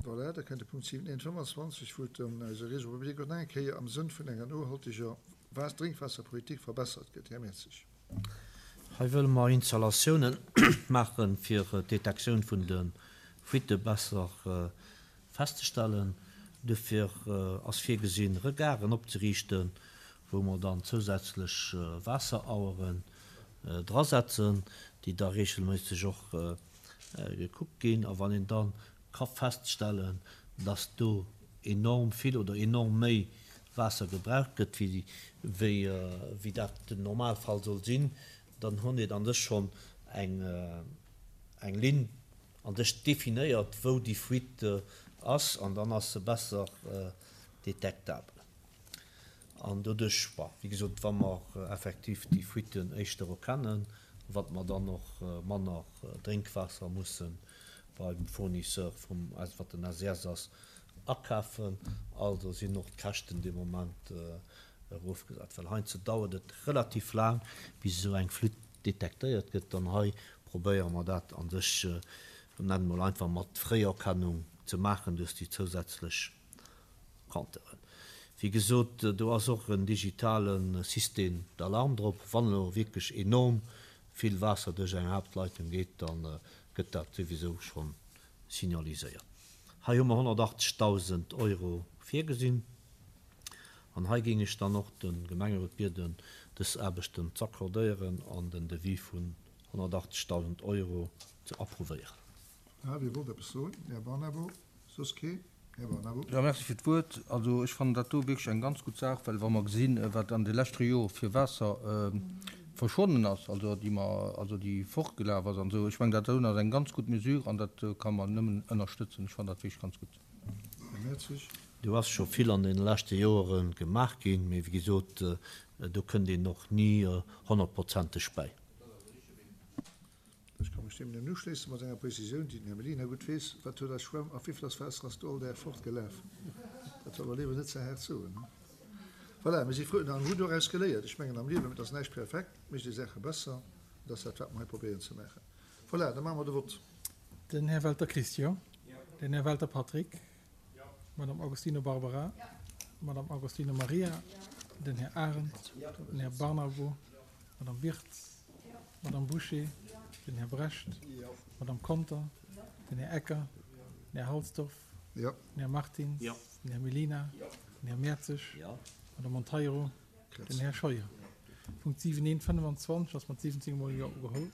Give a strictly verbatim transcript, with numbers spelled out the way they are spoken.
Voilà, da kënnt de Punkt siwen eent fëmmanzwanzeg, wou et ëm eise Réseau public och nach eng Kéier am Sënn vun enger nohalteger Drénkwaasserpolitik verbessert gëtt. Här Mertzig. Hei wëlle mer Installatiounen maachen, fir d'Detektioun vun de Fuitte besser festzestellen. Dofir ass virgesinn, Regarden opzeriichten, wou mer dann zousätzlech Waasseraueren drasetzen, déi da regelméisseg och gekuckt ginn. A wann een da ka feststellen, dass do enorm vill oder enorm méi Waasser gebraucht gëtt, wéi wéi dat den Normalfall soll sinn, dann hunn een an sech schonn eng eng Linn an sech definéiert, wou déi Fuite ass, an dann ass se besser detektabel. An doduerch, bon, wéi gesot, wa mer effektiv déi Fuiten éischter erkennen, wat mer dann och manner Drénkwaasser musse beim Fournisseur vum, wat den S E S ass, akafen. Also sinn och d'Käschten dee Moment erofgesat, well heiansdo dauert et relativ laang, bis esou eng Fuite detektéiert gëtt. An hei probéiere mer dat an sech, nennen mol einfach, mat Fréierkennung ze maachen duerch déi zousätzlech Compteuren. Wéi gesot, do ass och en digitale Système d'alarme drop. Wann elo wierklech enorm vill Waasser duerch eng Haaptleitung geet, dann gëtt dat souwisou schonn signaliséiert. Hei hu mer honnertachtzegdausend Euro virgesinn. An hei géing ech dann och de Gemengerot bieden, dës Aarbechten z'accordéieren an den Devis vun honnertachtzegdausend Euro ze approuvéieren. Ah, wie wollt eppes soen? Här Barnabo? Soss kee? Här Barnabo. Jo, merci fir d'Wuert. Also ech fannen dat do wierklech eng ganz gutt Saach, well wa mer gesinn, wat an de leschte Jore fir Waasser verschwonnen ass, also déi mer, also déi fortgelaf ass an esou, ech mengen dat do ass eng ganz gutt Mesure an dat ka mer nëmmen ënnerstëtzen. Ech fannen dat wierklech ganz gutt. Här Mertzig. Do ass scho vill an deene leschte Jore gemaach ginn, mee wéi gesot, do kënnt een och ni honnertprozenteg bäi. Ech ka mech deem nëmmen uschléissen, mat enger Prezisioun, déi den Här Mellina gutt weess. Wat huet eis Schwämm a wéi vill ass Waasser ass do all Dag fortgelaf? Dat soll mer léiwer net ze haart soen. Voilà, mir si frou an hunn doraus geléiert. Ech mengen, am Liewen, et ass näischt perfekt, mécht ee Saache besser. Dat ass dat, wat mer hei probéieren ze maachen. Voilà, da maache mer de Vott. Den Här Welter Christian. Den Här Welter Patrick. Madame Agostino Barbara. Madame Agostino Maria. Den Här Arendt. Den Här Barnabo. Madame Wirtz. Madame Boucher. Den Här Brecht. Madame Conter. Den Här Ecker. Den Här Halsdorf. Den Här Martins. Den Här Mellina. Den Här Mertzig. Madame Monteiro. Den Här Scheuer. Punkt siwen eent fënnwanzwanzeg ass mat siwwenzéng Mol Jo ugeholl.